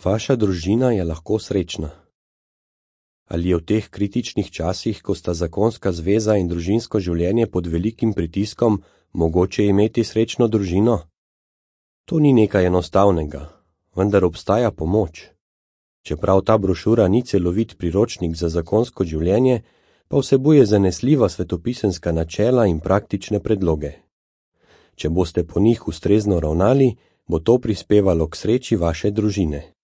Vaša družina je lahko srečna. Ali je v teh kritičnih časih, ko sta zakonska zveza in družinsko življenje pod velikim pritiskom, mogoče imeti srečno družino? To ni nekaj enostavnega, vendar obstaja pomoč. Čeprav ta brošura ni celovit priročnik za zakonsko življenje, pa vsebuje zanesljiva svetopisemska načela in praktične predloge. Če boste po njih ustrezno ravnali, bo to prispevalo k sreči vaše družine.